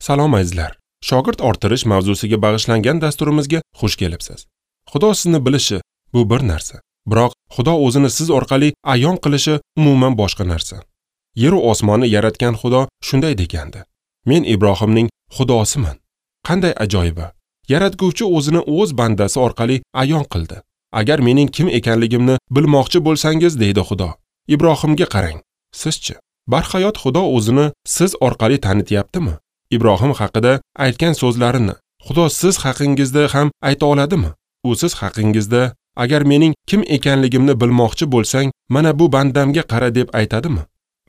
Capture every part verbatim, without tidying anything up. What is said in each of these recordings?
Salom azizlar. Shogird orttirish mavzusiga bag'ishlangan dasturimizga xush kelibsiz. Xudo sizni bilishi bu bir narsa, biroq Xudo o'zini siz orqali ayon qilishi umuman boshqa narsa. Yer va osmonni yaratgan Xudo shunday degandi: Men Ibrohimning Xudosiman. Qanday ajoyiba! Yaratguvchi o'zini o'z bandasi orqali ayon qildi. Agar mening kim ekanligimni bilmoqchi bo'lsangiz, deydi Xudo, Ibrohimga qarang. Sizchi? Barhayot Xudo o'zini siz orqali tanityaptimi? Ibrohim haqida aytgan so'zlarini Xudo siz haqingizda ham ayta oladimi? U siz haqingizda agar mening kim ekanligimni bilmoqchi bo'lsang, mana bu bandamga qara deb aytadimi?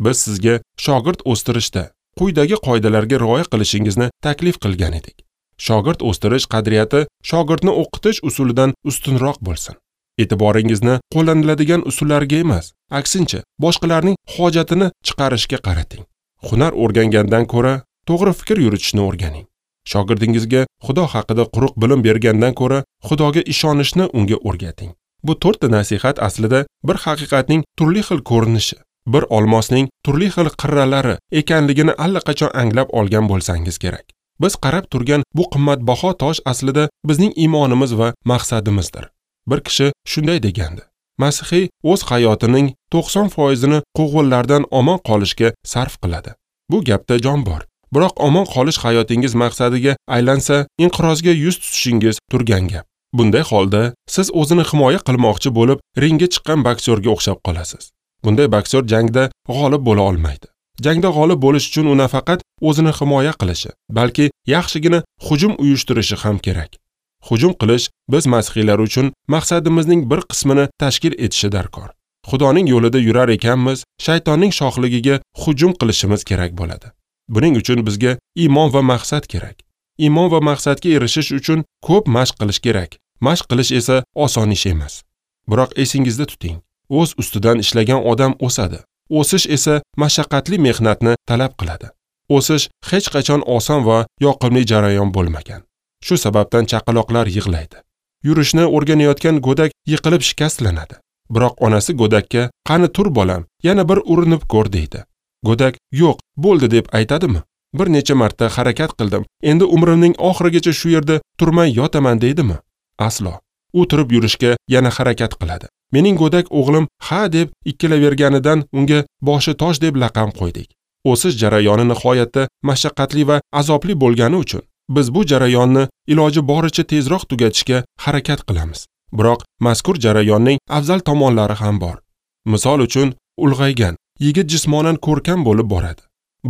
Biz sizga shogird o'stirishda quyidagi qoidalarga rioya qilishingizni taklif qilgan edik. Shogird o'stirish qadriyati shogirdni o'qitish usulidan ustunroq bo'lsin. E'tiboringizni qo'llaniladigan usullarga emas, aksincha boshqalarning hojatini chiqarishga qarating. Hunar o'rgangandan ko'ra to'g'ri fikr yuritishni o'rganing. Shogirdingizga Xudo haqida quruq bilim bergandan ko'ra Xudoga ishonishni unga o'rgating. Bu to'rtta nasihat aslida bir haqiqatning turli xil ko'rinishi, bir olmosning turli xil qirralari ekanligini allaqachon anglab olgan bo'lsangiz kerak. Biz qarab turgan bu qimmatbaho tosh aslida bizning iymonimiz va maqsadimizdir. Bir kishi shunday degandi: Masihiy o'z hayotining to'qson foizini quvg'inlardan omon qolishga sarf qiladi. Bu gapda jon bor. Biroq omon qolish hayotingiz maqsadiga aylansa, inqirozga yuz tutishingiz turgan gap. Bunday holda siz o'zini himoya qilmoqchi bo'lib ringga chiqqan boksyorga o'xshab qolasiz. Bunday boksyor jangda g'olib bo'la olmaydi. Jangda g'olib bo'lish uchun u nafaqat o'zini himoya qilishi, balki yaxshigina hujum uyushtirishi ham kerak. Hujum qilish biz masihiylar uchun maqsadimizning bir qismini tashkil etishi darkor. Xudoning yo'lida yurar ekanmiz, shaytonning shoxligiga hujum qilishimiz kerak bo'ladi. Buning uchun bizga iymon va maqsad kerak. Iymon va maqsadga erishish uchun ko'p mashq qilish kerak. Mashq qilish esa oson ish emas. Biroq esingizda tuting, o'z ustidan ishlagan odam o'sadi. O'sish esa mashaqqatli mehnatni talab qiladi. O'sish hech qachon oson va yoqimli jarayon bo'lmagan. Shu sababdan chaqaloqlar yig'laydi. Yurishni o'rganayotgan go'dak yiqilib shikastlanadi. Biroq onasi go'dakka "Qani tur bolam, yana bir urinib ko'r" deydi. Go'dak "Yo'q, bo'ldi" deb aytadimi? Bir necha marta harakat qildim, endi umrimning oxirigacha shu yerda turmay yotaman deydimi? Aslo. U turib yurishga yana harakat qiladi. Mening go'dak o'g'lim ha deb ikkilaverganidan unga boshi tosh deb laqam qo'ydik. O'sish jarayoni nihoyatda mashaqqatli va azobli bo'lgani uchun biz bu jarayonni iloji boricha tezroq tugatishga harakat qilamiz. Biroq mazkur jarayonning afzal tomonlari ham bor. Misol uchun, ulg'aygan yigit jismonan ko'rkam bo'lib boradi.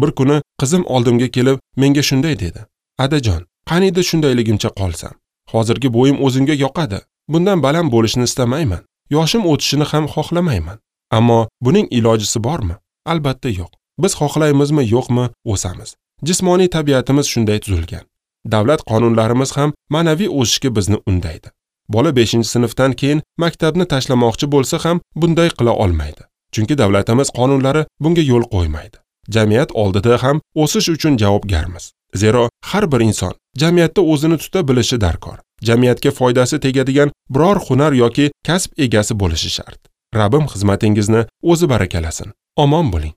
Bir kuni qizim oldimga kelib menga shunday dedi: "Adajon, qaniydi shundayligimcha qolsam. Hozirgi bo'yim o'zimga yoqadi. Bundan baland bo'lishni istamayman. Yoshim o'tishini ham xohlamayman. Ammo buning ilojisi bormi? Albatta yo'q. Biz xohlaymizmi, yo'qmi, o'samiz. Jismoniy tabiatimiz shunday tuzilgan. Davlat qonunlarimiz ham ma'naviy o'sishga bizni undaydi. Bola beshinchi sinfdan keyin maktabni tashlamoqchi bo'lsa ham bunday qila olmaydi. Chunki davlatimiz qonunlari bunga yo'l qo'ymaydi. Jamiyat oldida ham o'sish uchun javobgarmiz. Zero har bir inson jamiyatda o'zini tuta bilishi darkor. Jamiyatga foydasi tegadigan biror hunar yoki kasb egasi bo'lishi shart. Rabbim xizmatingizni o'zi barakalasin. Omon bo'ling.